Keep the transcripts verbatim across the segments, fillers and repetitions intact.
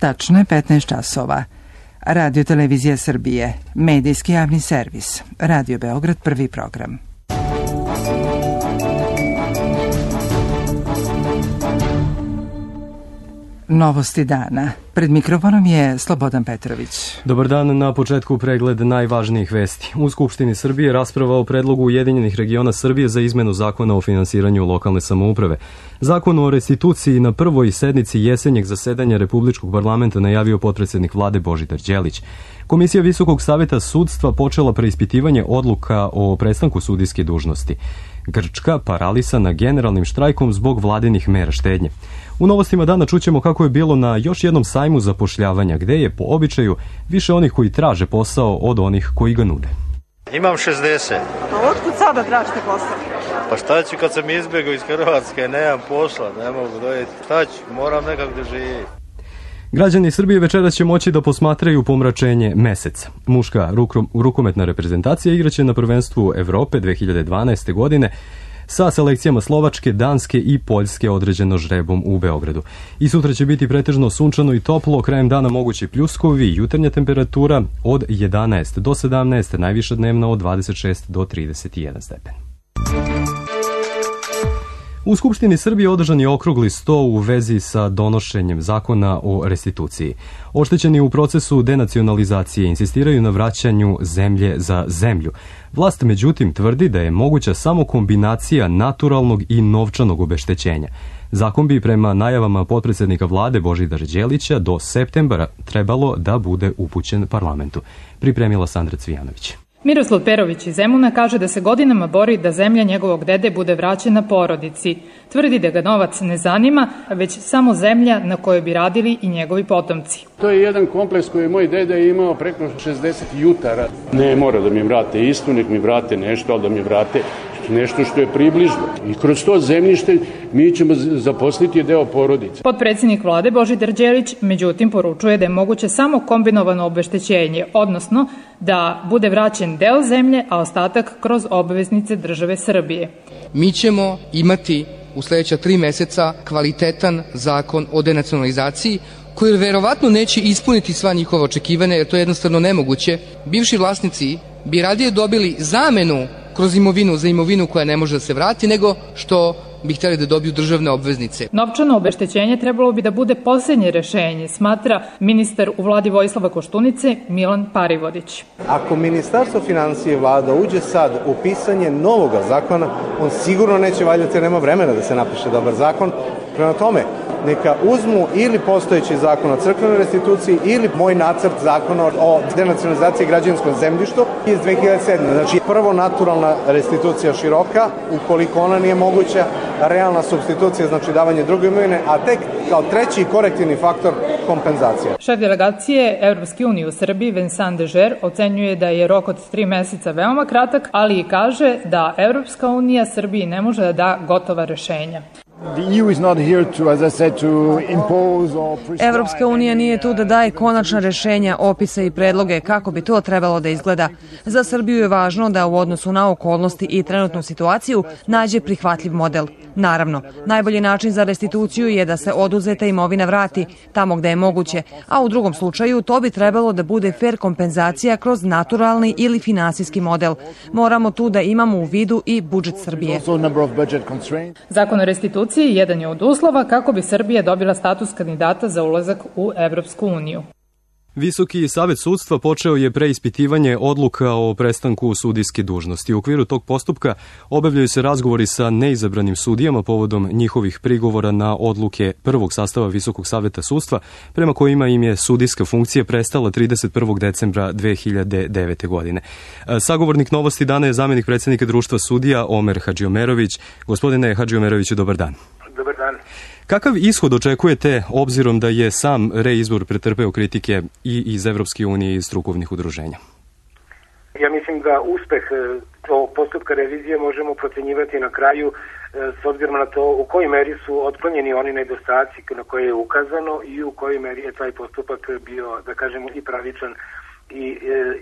Tačno je petnaest časova. Radio Televizija Srbije, medijski javni servis, Radio Beograd, prvi program. Novosti dana. Pred mikrofonom je Slobodan Petrović. Dobar dan, na početku pregled najvažnijih vesti. U Skupštini Srbije rasprava o predlogu Ujedinjenih regiona Srbije za izmenu zakona o finansiranju lokalne samouprave. Zakon o restituciji na prvoj sednici jesenjeg zasedanja Republičkog parlamenta najavio potpredsednik vlade Božidar Đelić. Komisija Visokog saveta sudstva počela preispitivanje odluka o prestanku sudijske dužnosti. Grčka paralisana generalnim štrajkom zbog vladinih mera štednje. U novostima dana čućemo kako je bilo na još jednom sajmu zapošljavanja, gde je po običaju više onih koji traže posao od onih koji ga nude. Imam šezdeset. A otkud sada tražite posao? Pa šta ću kad sam izbjegao iz Hrvatske, nemam posla, ne mogu dojeti. Šta ću, moram nekako da živim. Građani Srbije večeras će moći da posmatraju pomračenje meseca. Muška rukometna reprezentacija igraće na prvenstvu Evrope dve hiljade dvanaeste. godine sa selekcijama Slovačke, Danske i Poljske određeno žrebom u Beogradu. I sutra će biti pretežno sunčano i toplo, krajem dana mogući pljuskovi, jutarnja temperatura od jedanaest do sedamnaest, najviša dnevna od dvadeset šest do trideset jedan stepen. U Skupštini Srbije održan je okrugli sto u vezi sa donošenjem zakona o restituciji. Oštećeni u procesu denacionalizacije insistiraju na vraćanju zemlje za zemlju. Vlast međutim tvrdi da je moguća samo kombinacija naturalnog i novčanog obeštećenja. Zakon bi prema najavama potpredsednika vlade Božidara Đelića do septembra trebalo da bude upućen parlamentu. Pripremila Sandra Cvijanović. Miroslav Perović iz Zemuna kaže da se godinama bori da zemlja njegovog dede bude vraćena porodici. Tvrdi da ga novac ne zanima, već samo zemlja na kojoj bi radili i njegovi potomci. To je jedan kompleks koji je moj deda imao preko šezdeset jutara. Ne mora da mi vrate istu, nek mi vrate nešto, ali da mi vrate nešto što je približno. I kroz to zemljište mi ćemo zaposliti deo porodice. Potpredsjednik vlade Božidar Đelić međutim poručuje da je moguće samo kombinovano obeštećenje, odnosno da bude vraćen deo zemlje, a ostatak kroz obveznice države Srbije. Mi ćemo imati u sledeća tri meseca kvalitetan zakon o denacionalizaciji koji verovatno neće ispuniti sva njihova očekivanja, jer to je jednostavno nemoguće. Bivši vlasnici bi radije dobili zamenu kroz imovinu za imovinu koja ne može da se vrati, nego što bi htjeli da dobiju državne obveznice. Novčano obeštećenje trebalo bi da bude posljednje rešenje, smatra ministar u vladi Vojislava Koštunice Milan Parivodić. Ako Ministarstvo finansije i vlada uđe sad u pisanje novoga zakona, on sigurno neće valjati jer nema vremena da se napiše dobar zakon. Prema tome, neka uzmu ili postojeći zakon o crkvenoj restituciji ili moj nacrt zakona o denacionalizaciji građevinskom zemljištu iz dve hiljade sedme. Znači, prvo naturalna restitucija široka, ukoliko ona nije moguća, realna supstitucija, znači davanje druge imovine, a tek kao treći korektivni faktor kompenzacija. Šef delegacije Evropske unije u Srbiji Vincent Dežer ocenjuje da je rok od tri meseca veoma kratak, ali i kaže da Evropska unija Srbiji ne može da da gotova rešenja. Evropska unija nije tu da daje konačna rešenja, opise i predloge kako bi to trebalo da izgleda. Za Srbiju je važno da u odnosu na okolnosti i trenutnu situaciju nađe prihvatljiv model. Naravno, najbolji način za restituciju je da se oduzeta imovina vrati tamo gde je moguće, a u drugom slučaju to bi trebalo da bude fer kompenzacija kroz naturalni ili finansijski model. Moramo tu da imamo u vidu i budžet Srbije. Zakon o restituciji jedan je od uslova kako bi Srbija dobila status kandidata za ulazak u Evropsku uniju. Visoki savet sudstva počeo je preispitivanje odluka o prestanku sudijske dužnosti. U okviru tog postupka obavljaju se razgovori sa neizabranim sudijama povodom njihovih prigovora na odluke prvog sastava Visokog saveta sudstva, prema kojima im je sudijska funkcija prestala trideset prvog decembra dve hiljade devete. godine. Sagovornik Novosti dana je zamenik predsjednika društva sudija Omer Hadžiomerović. Gospodine Hadžiomeroviću, dobar dan. Dobar dan. Kakav ishod očekujete, obzirom da je sam reizbor pretrpeo kritike i iz Evropske unije i iz strukovnih udruženja? Ja mislim da uspeh ovog postupka revizije možemo procenjivati na kraju s obzirom na to u kojoj meri su otklonjeni oni nedostaci na koje je ukazano i u kojoj meri je taj postupak bio, da kažemo, i pravičan i,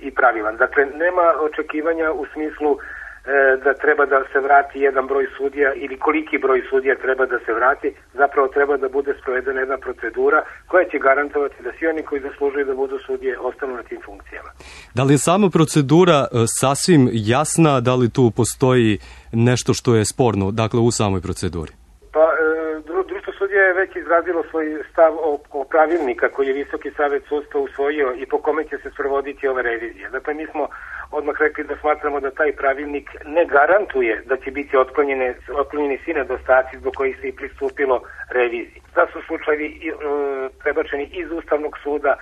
i pravilan. Dakle, nema očekivanja u smislu da treba da se vrati jedan broj sudija ili koliki broj sudija treba da se vrati, zapravo treba da bude sprovedena jedna procedura koja će garantovati da svi oni koji zaslužuju da budu sudije ostanu na tim funkcijama. Da li je sama procedura sasvim jasna, da li tu postoji nešto što je sporno, dakle u samoj proceduri? Pa, Društvo sudija je već izrazilo svoj stav o, o pravilnika koji je Visoki savet sudstva usvojio i po kome će se sprovoditi ove revizije. Dakle, mi smo odmah rekli da smatramo da taj pravilnik ne garantuje da će biti otklonjene, otklonjeni svi nedostaci zbog kojih se i pristupilo reviziji. Da su slučajevi e, prebačeni iz Ustavnog suda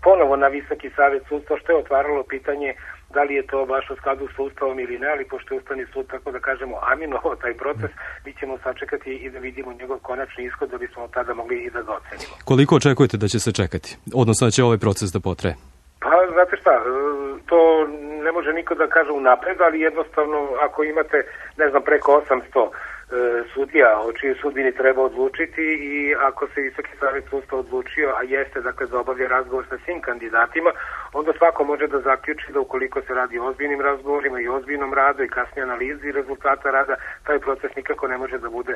ponovo na Visoki savet sudstva, što je otvaralo pitanje da li je to baš u skladu s Ustavom ili ne, ali pošto je Ustavni sud, tako da kažemo, aminovao taj proces, mi ćemo sačekati i da vidimo njegov konačni ishod da bismo tada mogli i da ga ocenimo. Koliko očekujete da će se čekati? Odnosno da će ovaj proces da potraje? Pa, znate šta, to ne može niko da kaže unapred, ali jednostavno ako imate, ne znam, preko osamsto sudija o čijoj sudbini treba odlučiti i ako se Visoki savet sudstva odlučio, a jeste dakle da obavlja razgovor sa svim kandidatima, onda svako može da zaključi da ukoliko se radi o ozbiljnim razgovorima i ozbiljnom radu i kasnije analizi rezultata rada, taj proces nikako ne može da bude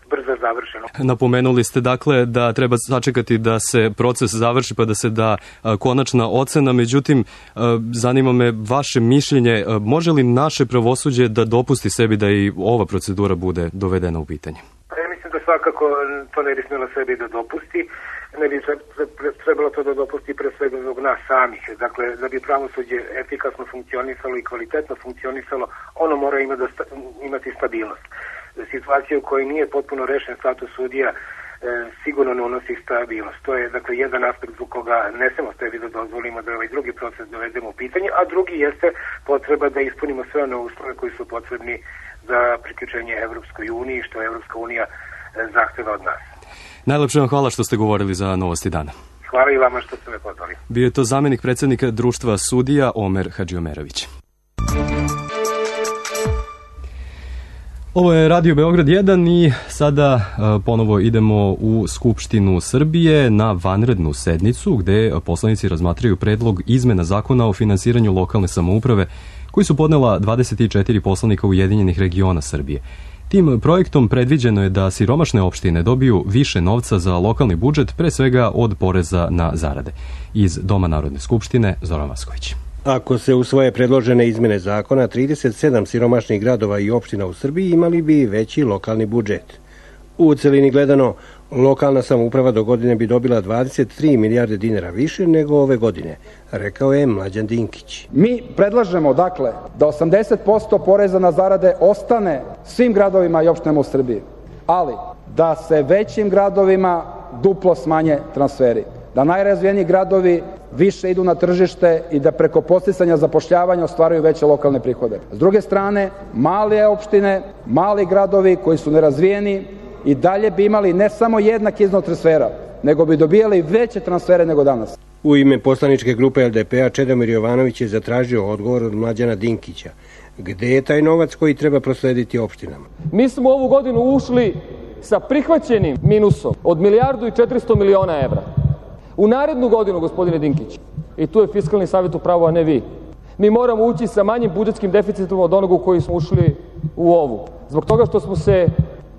brzo završen. Napomenuli ste dakle da treba sačekati da se proces završi pa da se da a, konačna ocena, međutim a, zanima me vaše mišljenje, a, može li naše pravosuđe da dopusti sebi da i ova procedura bude dovedena u pitanje? Ja mislim da svakako to ne bi smjela sebi da dopusti, ne bi trebalo to da dopusti pre svega zbog nas samih. Dakle, da bi pravosuđe efikasno funkcionisalo i kvalitetno funkcionisalo, ono mora ima da sta, imati stabilnost. Situacija u kojoj nije potpuno rešen status sudija e, sigurno ne unosi stabilnost. To je dakle jedan aspekt zbog koga ne smemo sebi da dozvolimo da ovaj drugi proces dovedemo u pitanje, a drugi jeste potreba da ispunimo sve one uslove koji su potrebni za priključenje Evropskoj uniji, što Evropska unija zahteva od nas. Najlepše vam hvala što ste govorili za Novosti dana. Hvala i vama što ste me pozvali. Bio je to zamjenik predsjednika Društva sudija Omer Hadžiomerović. Ovo je Radio Beograd jedan i sada uh, ponovo idemo u Skupštinu Srbije na vanrednu sednicu gde poslanici razmatraju predlog izmena zakona o finansiranju lokalne samouprave koji su podnela dvadeset četiri poslanika Ujedinjenih regiona Srbije. Tim projektom predviđeno je da siromašne opštine dobiju više novca za lokalni budžet, pre svega od poreza na zarade. Iz Doma Narodne skupštine, Zoran Vasković. Ako se usvoje predložene izmene zakona, trideset sedam siromašnih gradova i opština u Srbiji imali bi veći lokalni budžet. U celini gledano, lokalna samouprava do godine bi dobila dvadeset tri milijarde dinara više nego ove godine, rekao je Mlađan Dinkić. Mi predlažemo, dakle, da osamdeset posto poreza na zarade ostane svim gradovima i opštinama u Srbiji, ali da se većim gradovima duplo smanje transferi. Da najrazvijeniji gradovi više idu na tržište i da preko podsticanja zapošljavanja ostvaruju veće lokalne prihode. S druge strane, male opštine, mali gradovi koji su nerazvijeni i dalje bi imali ne samo jednak iznos transfera, nego bi dobijali veće transfere nego danas. U ime poslaničke grupe L D P-a Čedomir Jovanović je zatražio odgovor od Mlađana Dinkića. Gde je taj novac koji treba proslediti opštinama? Mi smo ovu godinu ušli sa prihvaćenim minusom od milijardu i četiristo miliona evra. U narednu godinu, gospodine Dinkić, i tu je Fiskalni savjet u pravu, a ne vi, mi moramo ući sa manjim budžetskim deficitom od onog u koji smo ušli u ovu. Zbog toga što smo se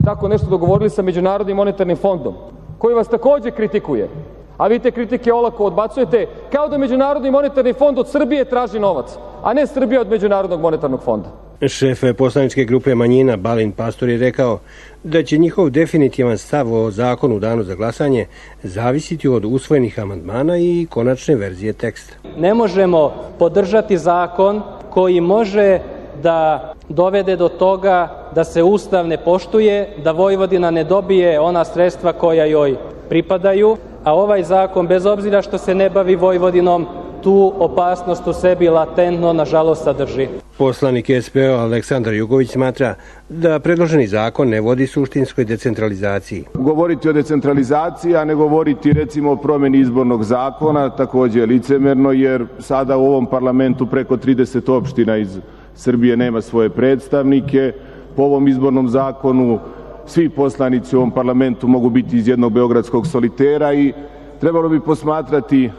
tako nešto dogovorili sa Međunarodnim monetarnim fondom, koji vas takođe kritikuje, a vi te kritike olako odbacujete, kao da Međunarodni monetarni fond od Srbije traži novac, a ne Srbija od Međunarodnog monetarnog fonda. Šef poslaničke grupe manjina Balint Pastor je rekao da će njihov definitivan stav o zakonu u danu za glasanje zavisiti od usvojenih amandmana i konačne verzije teksta. Ne možemo podržati zakon koji može da dovede do toga da se Ustav ne poštuje, da Vojvodina ne dobije ona sredstva koja joj pripadaju, a ovaj zakon, bez obzira što se ne bavi Vojvodinom, tu opasnost u sebi latentno, nažalost, sadrži. Poslanik S P O Aleksandar Jugović smatra da predloženi zakon ne vodi suštinskoj decentralizaciji. Govoriti o decentralizaciji, a ne govoriti recimo o promjeni izbornog zakona, takođe je licemerno, jer sada u ovom parlamentu preko trideset opština iz Srbije nema svoje predstavnike. Po ovom izbornom zakonu svi poslanici u ovom parlamentu mogu biti iz jednog beogradskog solitera i trebalo bi posmatrati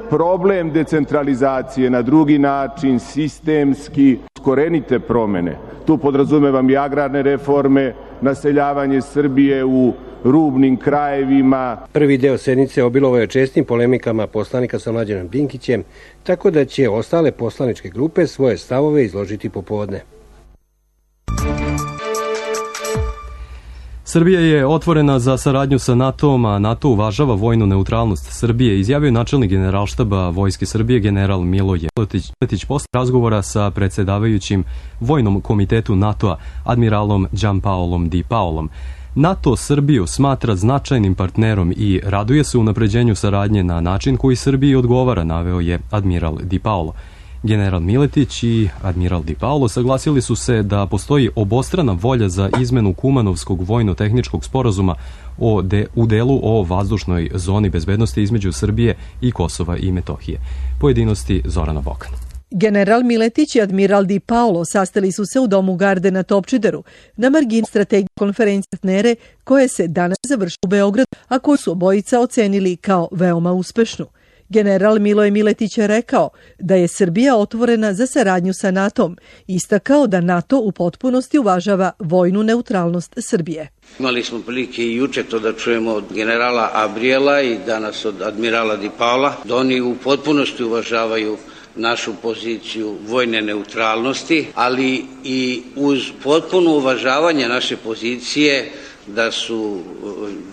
problem decentralizacije na drugi način, sistemski. korenite promene. Tu podrazumevam i agrarne reforme, naseljavanje Srbije u rubnim krajevima. Prvi deo sednice obilovo je čestim polemikama poslanika sa Mlađanom Dinkićem, tako da će ostale poslaničke grupe svoje stavove izložiti popodne. Srbija je otvorena za saradnju sa NATO-om, a NATO uvažava vojnu neutralnost Srbije, izjavio načelnik generalštaba Vojske Srbije general Miloje Miletić posle razgovora sa predsjedavajućim Vojnom komitetu NATO-a admiralom Gianpaolom Di Paolom. NATO Srbiju smatra značajnim partnerom i raduje se unapređenju saradnje na način koji Srbiji odgovara, naveo je admiral Di Paolo. General Miletić i admiral Di Paolo saglasili su se da postoji obostrana volja za izmenu Kumanovskog vojno-tehničkog sporazuma o de, u delu o vazdušnoj zoni bezbednosti između Srbije i Kosova i Metohije. Pojedinosti Zorana Bokan. General Miletić i admiral Di Paolo sastali su se u domu Garde na Topčideru na margini strategije konferencije partnere koje se danas završila u Beogradu, a koju su obojica ocenili kao veoma uspešnu. General Miloje Miletić je rekao da je Srbija otvorena za saradnju sa NATO-om i istakao da NATO u potpunosti uvažava vojnu neutralnost Srbije. Imali smo prilike i juče to da čujemo od generala Abrijela i danas od admirala Di Paola, da oni u potpunosti uvažavaju našu poziciju vojne neutralnosti, ali i uz potpuno uvažavanje naše pozicije da su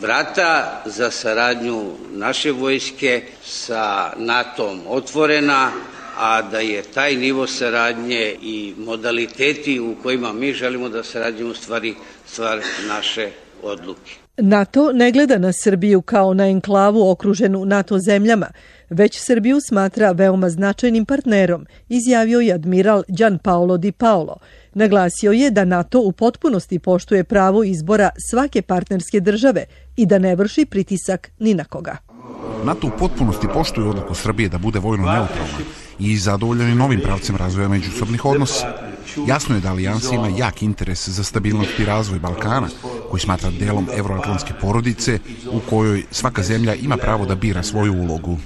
vrata za saradnju naše vojske sa NATO-om otvorena, a da je taj nivo saradnje i modaliteti u kojima mi želimo da sarađujemo stvari stvar naše odluke. NATO ne gleda na Srbiju kao na enklavu okruženu NATO zemljama, već Srbiju smatra veoma značajnim partnerom, izjavio je admiral Gianpaolo Di Paolo. Naglasio je da NATO u potpunosti poštuje pravo izbora svake partnerske države i da ne vrši pritisak ni na koga. NATO u potpunosti poštuje odluku Srbije da bude vojno neutralna i zadovoljan je novim pravcem razvoja međusobnih odnosa. Jasno je da alijansa ima jak interes za stabilnost i razvoj Balkana, koji smatra delom evroatlantske porodice u kojoj svaka zemlja ima pravo da bira svoju ulogu.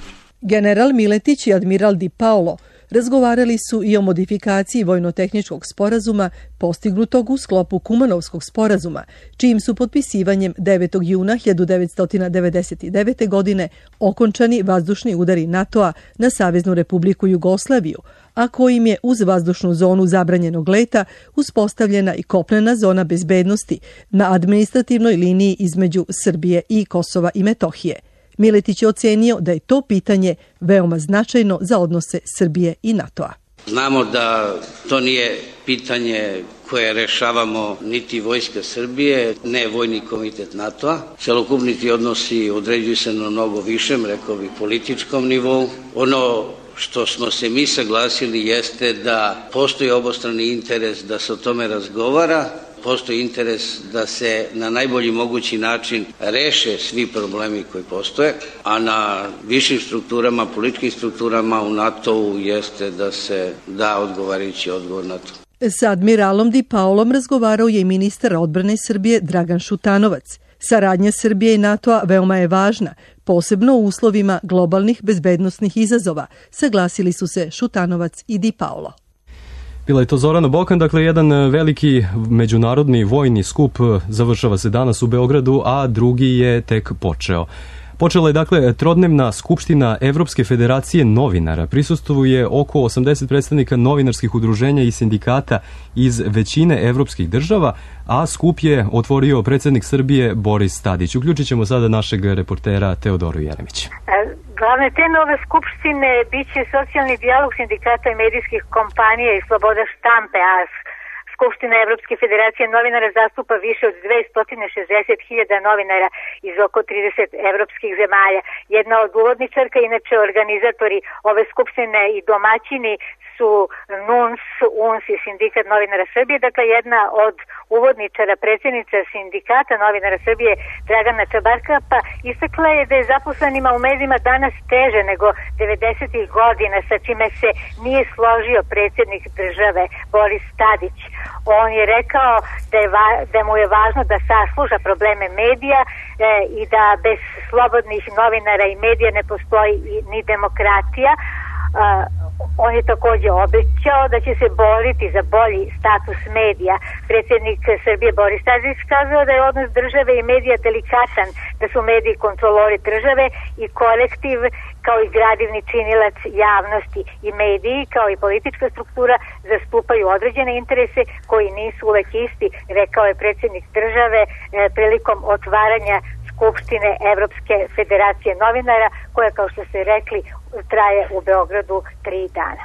General Miletić i admiral Di Paolo razgovarali su i o modifikaciji vojno-tehničkog sporazuma postignutog u sklopu Kumanovskog sporazuma, čijim su potpisivanjem devetog juna hiljadu devetsto devedeset devete. godine okončani vazdušni udari NATO-a na Saveznu Republiku Jugoslaviju, a kojim je uz vazdušnu zonu zabranjenog leta uspostavljena i kopnena zona bezbednosti na administrativnoj liniji između Srbije i Kosova i Metohije. Miletić je ocenio da je to pitanje veoma značajno za odnose Srbije i NATO-a. Znamo da to nije pitanje koje rešavamo niti Vojska Srbije, ne Vojni komitet NATO-a. Celokupni ti odnosi određuju se na mnogo višem, rekao bih, političkom nivou. Ono što smo se mi saglasili jeste da postoji obostrani interes da se o tome razgovara, postoji interes da se na najbolji mogući način reše svi problemi koji postoje, a na višim strukturama, političkim strukturama u NATO-u jeste da se da odgovarajući odgovor na to. Sa admiralom Di Paolom razgovarao je i ministar odbrane Srbije Dragan Šutanovac. Saradnja Srbije i NATO-a veoma je važna, posebno u uslovima globalnih bezbednosnih izazova, saglasili su se Šutanovac i Di Paolo. Bila je to Zorana Bokan, dakle jedan veliki međunarodni vojni skup završava se danas u Beogradu, a drugi je tek počeo. Počela je dakle trodnevna skupština Evropske federacije novinara. Prisustvuje oko osamdeset predstavnika novinarskih udruženja i sindikata iz većine evropskih država, a skup je otvorio predsjednik Srbije Boris Tadić. Uključit ćemo sada našeg reportera Teodoru Jeremić. Glavne teme ove skupštine biće socijalni dijalog sindikata i medijskih kompanija i sloboda štampe, a Skupština Evropske federacije novinara zastupa više od dvesta šezdeset hiljada novinara iz oko trideset evropskih zemalja. Jedna od uvodničarka, inače organizatori ove skupštine i domaćini su N U N S, U N S i Sindikat novinara Srbije. Dakle, jedna od uvodničara, predsjednica Sindikata novinara Srbije Dragana Čabarkapa istakla je da je zaposlenima u medijima danas teže nego devedesetih godina, sa čime se nije složio predsjednik države Boris Tadić. On je rekao da, je va, da mu je važno da sasluša probleme medija e, i da bez slobodnih novinara i medija ne postoji ni demokratija. On je takođe obećao da će se boriti za bolji status medija. Predsjednik Srbije Boris Tadić kazao da je odnos države i medija delikatan, da su mediji kontrolori države i kolektiv kao i gradivni činilac javnosti i mediji kao i politička struktura zastupaju određene interese koji nisu uvek isti, rekao je predsjednik države e, prilikom otvaranja Skupštine Evropske federacije novinara, koja, kao što ste rekli, traje u Beogradu tri dana.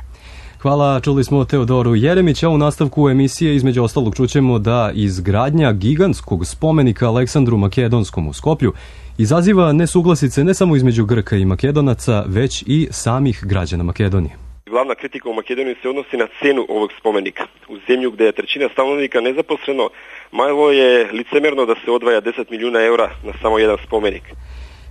Hvala, čuli smo Teodoru Jeremić, a u nastavku emisije između ostalog čućemo da izgradnja gigantskog spomenika Aleksandru Makedonskom u Skoplju izaziva nesuglasice ne samo između Grka i Makedonaca, već i samih građana Makedonije. Glavna kritika u Makedoniji se odnosi na cenu ovog spomenika. U zemlju gde je trećina stanovnika nezaposleno, malo je licemerno da se odvaja deset milijuna eura na samo jedan spomenik.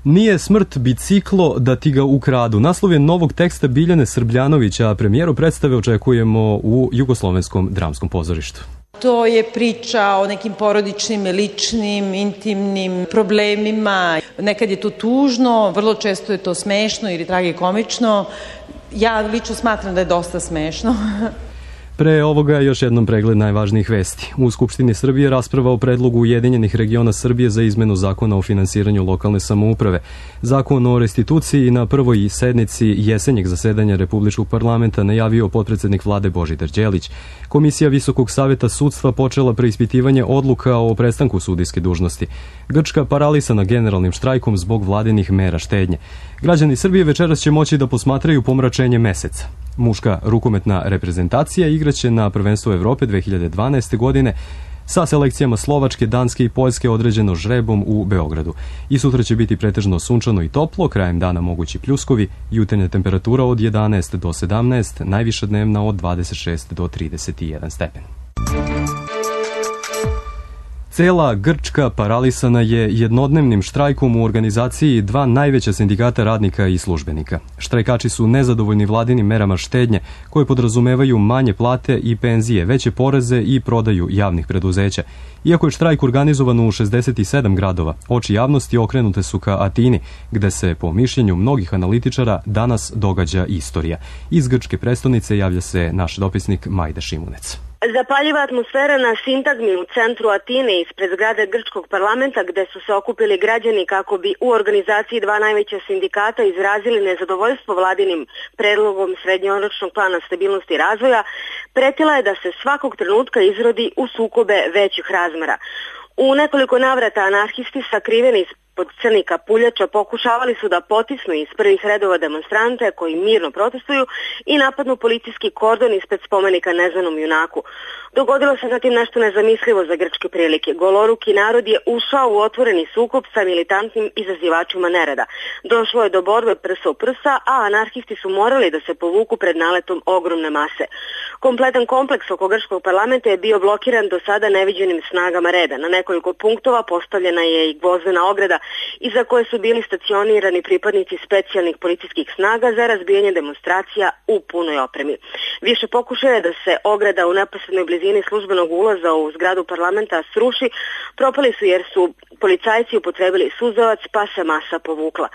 Nije smrt biciklo da ti ga ukradu. Naslov je novog teksta Biljane Srbljanovića, a premijeru predstave očekujemo u Jugoslovenskom dramskom pozorištu. To je priča o nekim porodičnim, ličnim, intimnim problemima. Nekad je to tužno, vrlo često je to smešno ili tragikomično. Ja lično smatram da je dosta smešno. Pre ovoga još jednom pregled najvažnijih vesti. U Skupštini Srbije rasprava o predlogu Ujedinjenih regiona Srbije za izmenu zakona o finansiranju lokalne samouprave. Zakon o restituciji na prvoj sednici jesenjeg zasedanja Republičkog parlamenta najavio potpredsednik vlade Božidar Đelić. Komisija Visokog saveta sudstva počela preispitivanje odluka o prestanku sudijske dužnosti. Grčka paralisana generalnim štrajkom zbog vladinih mera štednje. Građani Srbije večeras će moći da posmatraju pomračenje meseca. Muška rukometna reprezentacija igraće na prvenstvu Evrope dve hiljade dvanaeste. godine sa selekcijama Slovačke, Danske i Poljske određeno žrebom u Beogradu. I sutra će biti pretežno sunčano i toplo, krajem dana mogući pljuskovi, jutarnja temperatura od jedanaest do sedamnaest, najviša dnevna od dvadeset šest do trideset jedan stepen. Cela Grčka paralisana je jednodnevnim štrajkom u organizaciji dva najveća sindikata radnika i službenika. Štrajkači su nezadovoljni vladinim merama štednje koje podrazumevaju manje plate i penzije, veće poreze i prodaju javnih preduzeća. Iako je štrajk organizovan u šezdeset sedam gradova, oči javnosti okrenute su ka Atini, gde se, po mišljenju mnogih analitičara, danas događa istorija. Iz grčke prestonice javlja se naš dopisnik Majda Šimunec. Zapaljiva atmosfera na sintagmi u centru Atine ispred zgrade grčkog parlamenta, gde su se okupili građani kako bi u organizaciji dva najveća sindikata izrazili nezadovoljstvo vladinim predlogom srednjoročnog plana stabilnosti i razvoja, pretila je da se svakog trenutka izrodi u sukobe većih razmera. U nekoliko navrata anarhisti sakriveni pod crnih kapuljača pokušavali su da potisnu iz prvih redova demonstrante koji mirno protestuju i napadnu policijski kordon ispred spomenika neznanom junaku. Dogodilo se zatim nešto nezamislivo za grčke prilike. Goloruki narod je ušao u otvoreni sukob sa militantnim izazivačima nereda. Došlo je do borbe prsa u prsa, a anarhisti su morali da se povuku pred naletom ogromne mase. Kompletan kompleks oko grčkog parlamenta je bio blokiran do sada neviđenim snagama reda. Na nekoliko punktova postavljena je i gvozdena ograda iza koje su bili stacionirani pripadnici specijalnih policijskih snaga za razbijanje demonstracija u punoj opremi. Više pokušaja da se ograda u neposrednoj blizini službenog ulaza u zgradu parlamenta sruši, propali su jer su policajci upotrebili suzavac pa se masa povukla.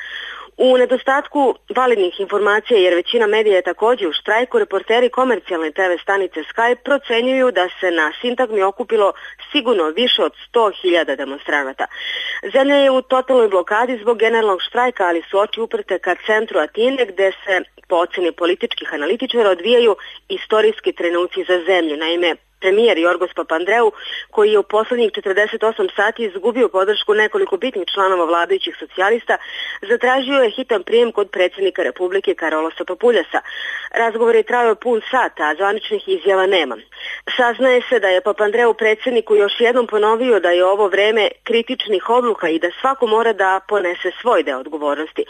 U nedostatku validnih informacija, jer većina medija je također u štrajku, reporteri komercijalne te ve stanice Sky procenjuju da se na sintagmi okupilo sigurno više od sto hiljada demonstranata. Zemlja je u totalnoj blokadi zbog generalnog štrajka, ali su oči uprte ka centru Atine, gde se, po oceni političkih analitičara, odvijaju istorijski trenuci za zemlju. Naime, premijer Jorgos Papandreou, koji je u poslednjih četrdeset osam sati izgubio podršku nekoliko bitnih članova vladajućih socijalista, zatražio je hitan prijem kod predsjednika Republike Karolosa Papuljasa. Razgovor je trajao pun sat, a zvaničnih izjava nema. Saznaje se da je Papandreou predsjedniku još jednom ponovio da je ovo vreme kritičnih odluka i da svako mora da ponese svoj deo odgovornosti.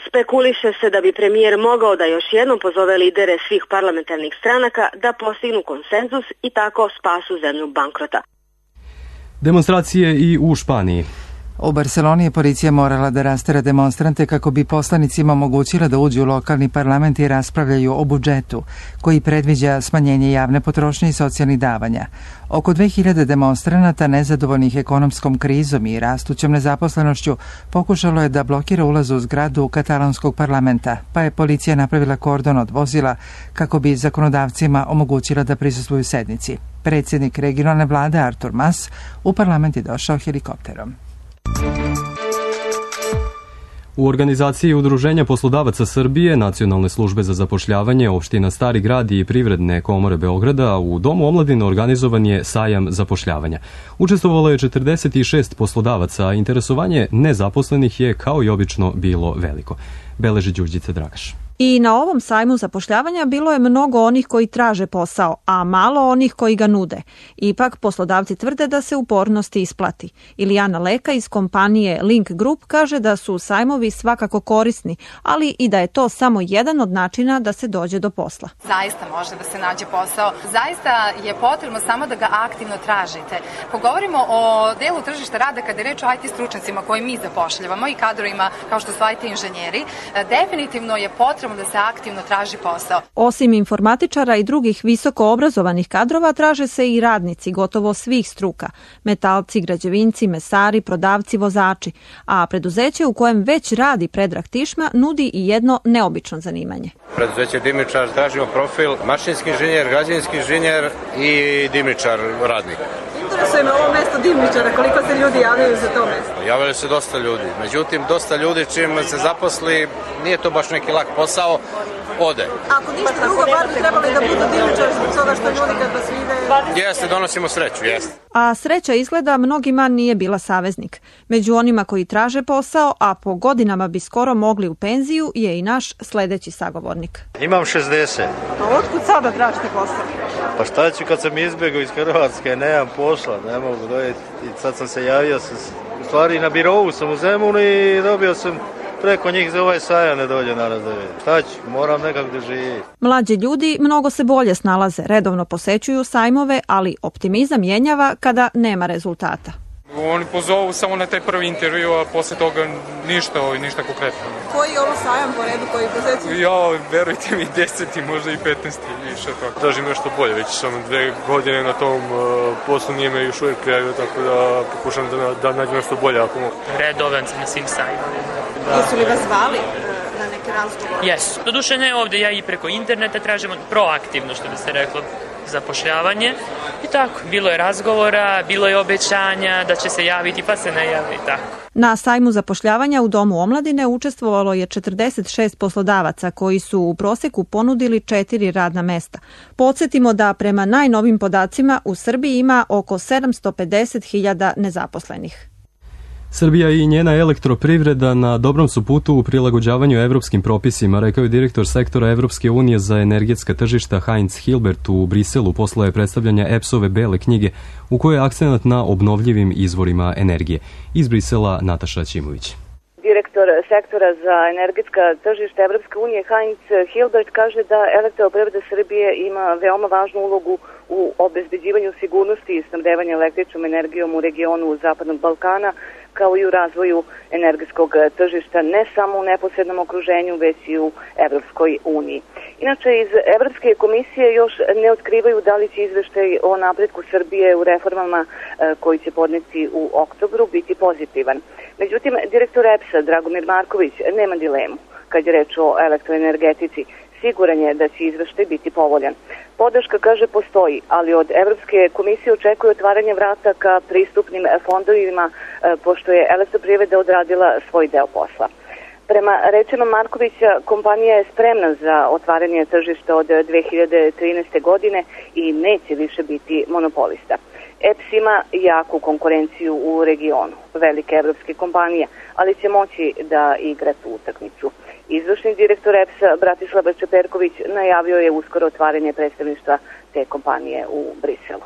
Spekuliše se da bi premijer mogao da još jednom pozove lidere svih parlamentarnih stranaka da postignu konsenzus i tako spasu zemlju bankrota. Demonstracije i u Španiji. U Barseloni je policija morala da rastera demonstrante kako bi poslanicima omogućila da uđu u lokalni parlament i raspravljaju o budžetu, koji predviđa smanjenje javne potrošnje i socijalnih davanja. Oko dve hiljade demonstranata nezadovoljnih ekonomskom krizom i rastućom nezaposlenošću pokušalo je da blokira ulaz u zgradu katalanskog parlamenta, pa je policija napravila kordon od vozila kako bi zakonodavcima omogućila da prisustvuju sednici. Predsjednik regionalne vlade Artur Mas u parlament je došao helikopterom. U organizaciji Udruženja poslodavaca Srbije, Nacionalne službe za zapošljavanje, opština Stari grad i Privredne komore Beograda u Domu omladine organizovan je sajam zapošljavanja. Učestvovalo je četrdeset šest poslodavaca, a interesovanje nezaposlenih je kao i obično bilo veliko. Beleži Đurđica Dragaš. I na ovom sajmu zapošljavanja bilo je mnogo onih koji traže posao, a malo onih koji ga nude. Ipak poslodavci tvrde da se upornost isplati. Ilijana Leka iz kompanije Link Group kaže da su sajmovi svakako korisni, ali i da je to samo jedan od načina da se dođe do posla. Zaista može da se nađe posao. Zaista je potrebno samo da ga aktivno tražite. Ko govorimo o delu tržišta rada kada je reč o I T stručnjacima koje mi zapošljavamo i kadrovima kao što su I T inženjeri, definitivno je potrebno da se aktivno traži posao. Osim informatičara i drugih visoko obrazovanih kadrova, traže se i radnici gotovo svih struka. Metalci, građevinci, mesari, prodavci, vozači. A preduzeće u kojem već radi Predrag Tišma nudi i jedno neobično zanimanje. Preduzeće Dimičar, tražimo profil mašinski inženjer, građevinski inženjer i dimičar radnik. Interesuje me ovo mesto dimničara, koliko se ljudi javljaju za to mesto? Javljaju se dosta ljudi, međutim dosta ljudi čim se zaposli, nije to baš neki lak posao, ode. Ako ništa drugo, bar bi trebali da budu dimničari zbog toga što ljudi kad vas vide... Jeste, donosimo sreću, jeste. A sreća izgleda mnogima nije bila saveznik. Među onima koji traže posao, a po godinama bi skoro mogli u penziju, je i naš sledeći sagovornik. Imam šezdeset. A otkud sada tražite posao? Pa šta ću kad sam izbjegao iz Hrvatske, nemam posla, ne mogu dojeti. I sad sam se javio, sam, u stvari na birovu sam u Zemunu i dobio sam preko njih za ovaj sajam ne dođe naraz da vidim. Šta ću, moram nekako da živim. Mlađi ljudi mnogo se bolje snalaze, redovno posećuju sajmove, ali optimizam jenjava kada nema rezultata. Oni pozovu samo na taj prvi intervju, a posle toga ništa, ništa konkretno. Koji je ovo sajam po redu koji posećuju? Ja, verujte mi, deseti, možda i petnaesti više tako. Tražim nešto bolje, već sam dve godine na tom uh, poslu, nije me još uvijek prijavio, tako da pokušam da, da nađem nešto bolje ako mogu. Redovan sam na svim sajmovima. Jesu li vas zvali na neke razgovore? Jesu. Doduše ne ovde, ja i preko interneta tražim proaktivno, što bi se reklo, zapošljavanje i tako. Bilo je razgovora, bilo je obećanja da će se javiti, pa se ne javi i tako. Na sajmu zapošljavanja u Domu omladine učestvovalo je četrdeset šest poslodavaca koji su u proseku ponudili četiri radna mesta. Podsjetimo da prema najnovim podacima u Srbiji ima oko sedamsto pedeset hiljada nezaposlenih. Srbija i njena elektroprivreda na dobrom su putu u prilagođavanju evropskim propisima, rekao je direktor sektora Evropske unije za energetska tržišta Heinz Hilbert u Briselu posle predstavljanja E P S-ove bele knjige u kojoj je akcenat na obnovljivim izvorima energije. Iz Brisela Nataša Ćimović. Direktor sektora za energetska tržišta Evropske unije Heinz Hilbert kaže da elektroprivreda Srbije ima veoma važnu ulogu u obezbeđivanju sigurnosti i snabdevanja električnom energijom u regionu Zapadnog Balkana, kao i u razvoju energetskog tržišta ne samo u neposrednom okruženju, već i u Evropskoj uniji. Inače, iz Evropske komisije još ne otkrivaju da li će izveštaj o napretku Srbije u reformama koji će podneti u oktobru biti pozitivan. Međutim, direktor E P S-a Dragomir Marković nema dilemu kad je reč o elektroenergetici. Siguran je da će izveštaj biti povoljan. Podrška, kaže, postoji, ali od Evropske komisije očekuje otvaranje vrata ka pristupnim fondovima, pošto je elektroprivreda odradila svoj deo posla. Prema rečima Markovića, kompanija je spremna za otvaranje tržišta od dve hiljade trinaeste. godine i neće više biti monopolista. E P S ima jaku konkurenciju u regionu, velike evropske kompanije, ali će moći da igra tu utakmicu. Izvršni direktor E P S-a Bratislava Čeperković najavio je uskoro otvaranje predstavništva te kompanije u Briselu.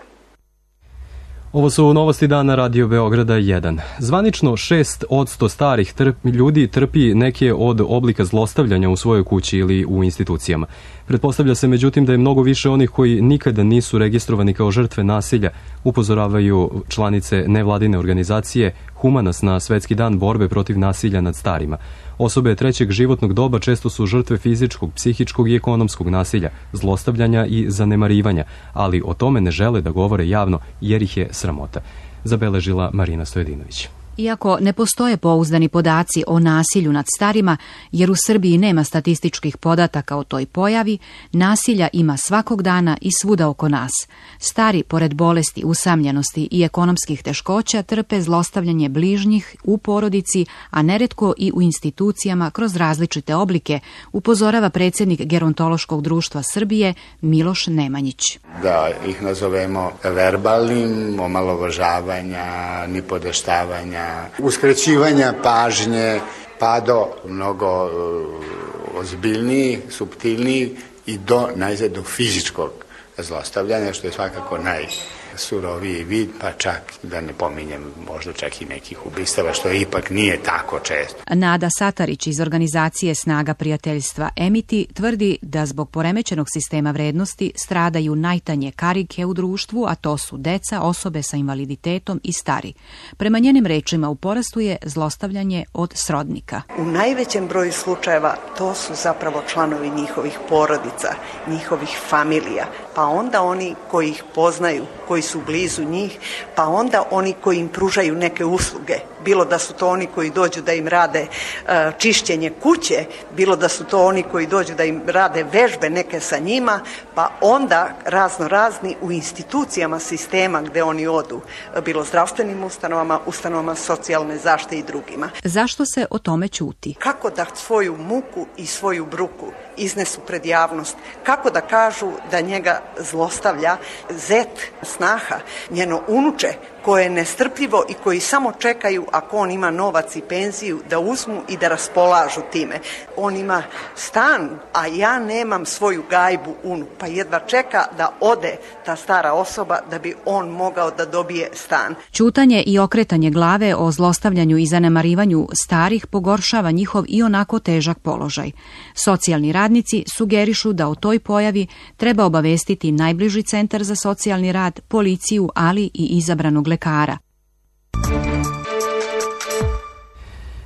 Ovo su novosti dana Radio Beograda jedan. Zvanično šest posto starih trpi, ljudi trpi neke od oblika zlostavljanja u svojoj kući ili u institucijama. Pretpostavlja se međutim da je mnogo više onih koji nikada nisu registrovani kao žrtve nasilja, upozoravaju članice nevladine organizacije Humanas na Svetski dan borbe protiv nasilja nad starima. Osobe trećeg životnog doba često su žrtve fizičkog, psihičkog i ekonomskog nasilja, zlostavljanja i zanemarivanja, ali o tome ne žele da govore javno jer ih je sramota, zabeležila Marina Stojedinović. Iako ne postoje pouzdani podaci o nasilju nad starima, jer u Srbiji nema statističkih podataka o toj pojavi, nasilja ima svakog dana i svuda oko nas. Stari, pored bolesti, usamljenosti i ekonomskih teškoća, trpe zlostavljanje bližnjih u porodici, a neretko i u institucijama kroz različite oblike, upozorava predsjednik Gerontološkog društva Srbije Miloš Nemanjić. Da ih nazovemo verbalnim, omalovažavanja, nipodaštavanja, uskraćivanja pažnje, pa do mnogo uh, ozbiljnijih, suptilnijih i do najzad do fizičkog zlostavljanja, što je svakako najsuroviji vid, pa čak da ne pominjem možda čak i nekih ubistava, što ipak nije tako često. Nada Satarić iz organizacije Snaga prijateljstva Emiti tvrdi da zbog poremećenog sistema vrednosti stradaju najtanje karike u društvu, a to su deca, osobe sa invaliditetom i stari. Prema njenim rečima u porastu je zlostavljanje od srodnika. U najvećem broju slučajeva to su zapravo članovi njihovih porodica, njihovih familija, pa onda oni koji ih poznaju, koji su blizu njih, pa onda oni koji im pružaju neke usluge, bilo da su to oni koji dođu da im rade uh, čišćenje kuće, bilo da su to oni koji dođu da im rade vežbe neke sa njima, pa onda razno razni u institucijama sistema gde oni odu, bilo zdravstvenim ustanovama, ustanovama socijalne zaštite i drugima. Zašto se o tome ćuti? Kako da svoju muku i svoju bruku iznesu pred javnost, kako da kažu da njega zlostavlja zet, snaha, njeno unuče, koje je nestrpljivo i koji samo čekaju ako on ima novac i penziju da uzmu i da raspolažu time. On ima stan, a ja nemam svoju gajbu unu, pa jedva čeka da ode ta stara osoba da bi on mogao da dobije stan. Ćutanje i okretanje glave o zlostavljanju i zanemarivanju starih pogoršava njihov i onako težak položaj. Socijalni radnici sugerišu da o toj pojavi treba obavestiti najbliži centar za socijalni rad, policiju, ali i izabranog lekara.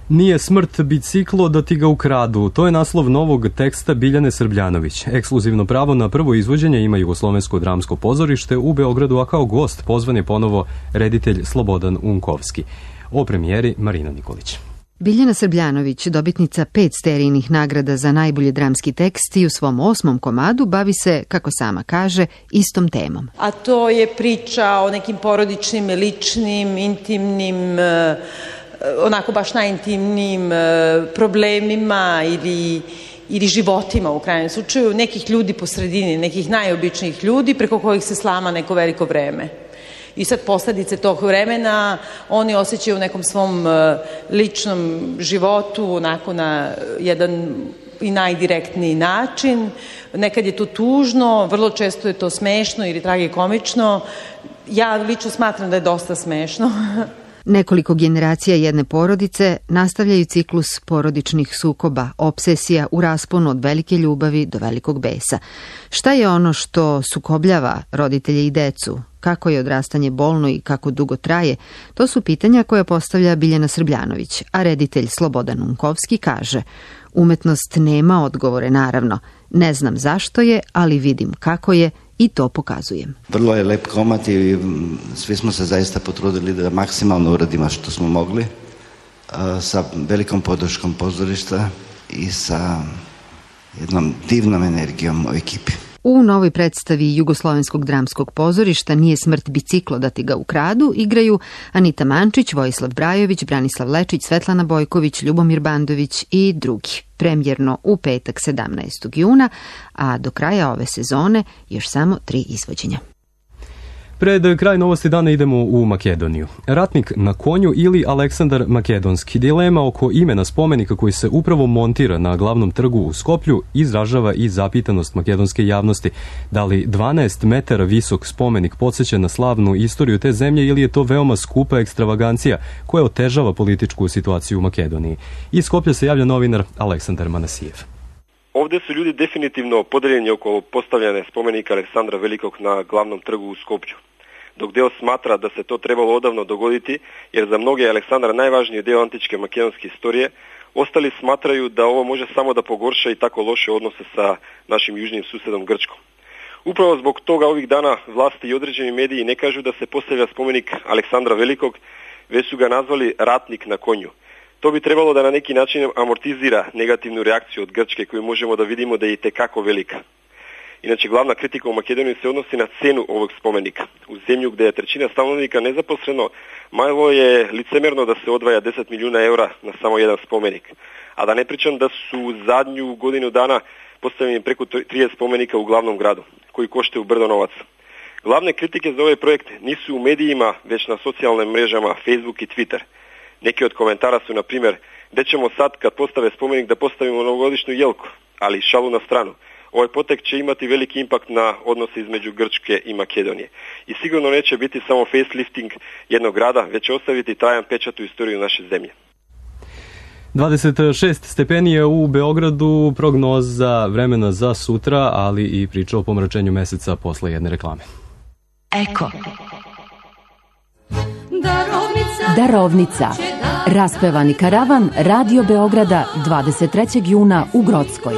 Nije smrt biciklo da ti ga ukradu. To je naslov novog teksta Biljane Srbljanović. Ekskluzivno pravo na prvo izvođenje ima Jugoslovensko dramsko pozorište u Beogradu, a kao gost pozvan je ponovo reditelj Slobodan Unkovski. O premijeri Marina Nikolić. Biljana Srbljanović, dobitnica pet sterijnih nagrada za najbolji dramski tekst i u svom osmom komadu bavi se, kako sama kaže, istom temom. A to je priča o nekim porodičnim, ličnim, intimnim, onako baš najintimnijim problemima ili, ili životima u krajnjem slučaju, nekih ljudi po sredini, nekih najobičnijih ljudi preko kojih se slama neko veliko vreme. I sad posledice tog vremena oni osjećaju u nekom svom ličnom životu onako na jedan i najdirektniji način. Nekad je to tužno, vrlo često je to smešno ili tragikomično. Ja lično smatram da je dosta smešno. Nekoliko generacija jedne porodice nastavljaju ciklus porodičnih sukoba, obsesija u rasponu od velike ljubavi do velikog besa. Šta je ono što sukobljava roditelje i decu? Kako je odrastanje bolno i kako dugo traje? To su pitanja koja postavlja Biljana Srbljanović, a reditelj Slobodan Unkovski kaže: umetnost nema odgovore, naravno. Ne znam zašto je, ali vidim kako je i to pokazujem. Vrlo je lep komad i svi smo se zaista potrudili da maksimalno uradimo što smo mogli, sa velikom podrškom pozorišta i sa jednom divnom energijom u ekipi. U novoj predstavi Jugoslovenskog dramskog pozorišta Nije smrt biciklo da ti ga ukradu igraju Anita Mančić, Vojislav Brajović, Branislav Lečić, Svetlana Bojković, Ljubomir Bandović i drugi. Premijerno u petak sedamnaestog juna, a do kraja ove sezone još samo tri izvođenja. Pred kraj novosti dana idemo u Makedoniju. Ratnik na konju ili Aleksandar Makedonski. Dilema oko imena spomenika koji se upravo montira na glavnom trgu u Skoplju izražava i zapitanost makedonske javnosti. Da li dvanaest metara visok spomenik podsjeća na slavnu istoriju te zemlje ili je to veoma skupa ekstravagancija koja otežava političku situaciju u Makedoniji? Iz Skoplja se javlja novinar Aleksandar Manasijev. Ovdje su ljudi definitivno podeljeni oko postavljanja spomenika Aleksandra Velikog na glavnom trgu u Skoplju. dok deo smatra da se to trebalo odavno dogoditi, jer za mnoge je Aleksandar najvažniji deo antičke makedonske istorije, ostali smatraju da ovo može samo da pogorša i tako loše odnose sa našim južnim susedom Grčkom. Upravo zbog toga ovih dana vlasti i određeni mediji ne kažu da se postavlja spomenik Aleksandra Velikog, već su ga nazvali ratnik na konju. To bi trebalo da na neki način amortizira negativnu reakciju od Grčke koju možemo da vidimo da je i tekako velika. Inače, glavna kritika u Makedoniji se odnosi na cenu ovog spomenika. U zemlju gde je trećina stanovnika nezaposleno, malo je licemerno da se odvaja deset milijuna eura na samo jedan spomenik. A da ne pričam da su u zadnju godinu dana postavljeni preko trideset spomenika u glavnom gradu, koji koštaju brdo novaca. Glavne kritike za ovaj projekt nisu u medijima, već na socijalnim mrežama Facebook i Twitter. Neki od komentara su, na primjer, gde ćemo sad kad postave spomenik da postavimo novogodišnju jelku, ali šalu na stranu. Ovaj potek će imati veliki impakt na odnose između Grčke i Makedonije. I sigurno neće biti samo facelifting jednog grada, već će ostaviti trajan pečat u istoriju naše zemlje. dvadeset šest stepeni je u Beogradu, prognoza vremena za sutra, ali i priča o pomračenju meseca posle jedne reklame. Eko. Darovnica. Darovnica. Raspevani karavan Radio Beograda dvadeset trećeg juna u Grockoj.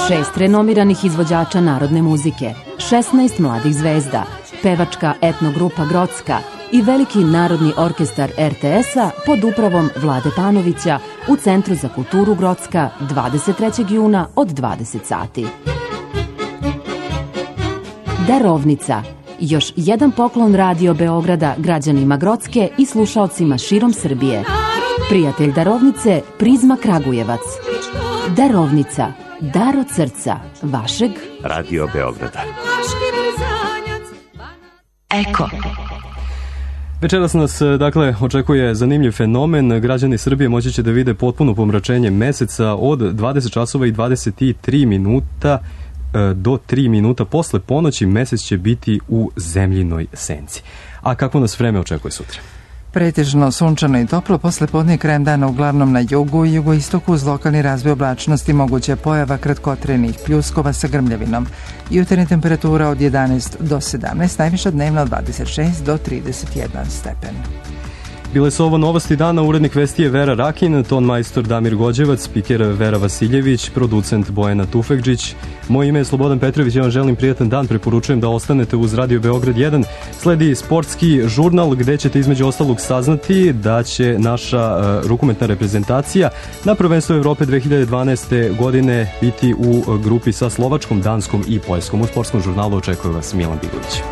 Šest renomiranih izvođača narodne muzike, šesnaest mladih zvezda, pevačka etnogrupa Grocka i veliki narodni orkestar er te es-a pod upravom Vlade Panovića u Centru za kulturu Grocka dvadeset trećeg juna od dvadeset sati. Darovnica. Još jedan poklon Radio Beograda građanima Grocke i slušaocima širom Srbije. Prijatelj Darovnice, Prizma Kragujevac. Darovnica. Dar od srca vašeg Radio Beograda. Eko. Večeras nas, dakle, očekuje zanimljiv fenomen. Građani Srbije moći će da vide potpuno pomračenje meseca od dvadeset časova i dvadeset tri minuta do tri minuta posle ponoći. Mesec će biti u zemljinoj senci. A kako nas vreme očekuje sutra? Pretežno sunčano i toplo, posle podne krajem dana uglavnom na jugu i jugoistoku uz lokalni razvoj oblačnosti moguća pojava kratkotrenih pljuskova sa grmljavinom. Jutarnja temperatura od jedanaest do sedamnaest, najviša dnevna od dvadeset šest do trideset jedan stepen. Bile su ovo novosti dana, urednik vesti je Vera Rakin, ton majstor Damir Gođevac, spiker Vera Vasiljević, producent Bojana Tufekđić. Moje ime je Slobodan Petrović, ja vam želim prijatan dan, preporučujem da ostanete uz Radio Beograd jedan. Sledi sportski žurnal gde ćete između ostalog saznati da će naša uh, rukometna reprezentacija na prvenstvu Evrope dve hiljade dvanaeste. godine biti u grupi sa Slovačkom, Danskom i Poljskom. U sportskom žurnalu očekuje vas Milan Bigović.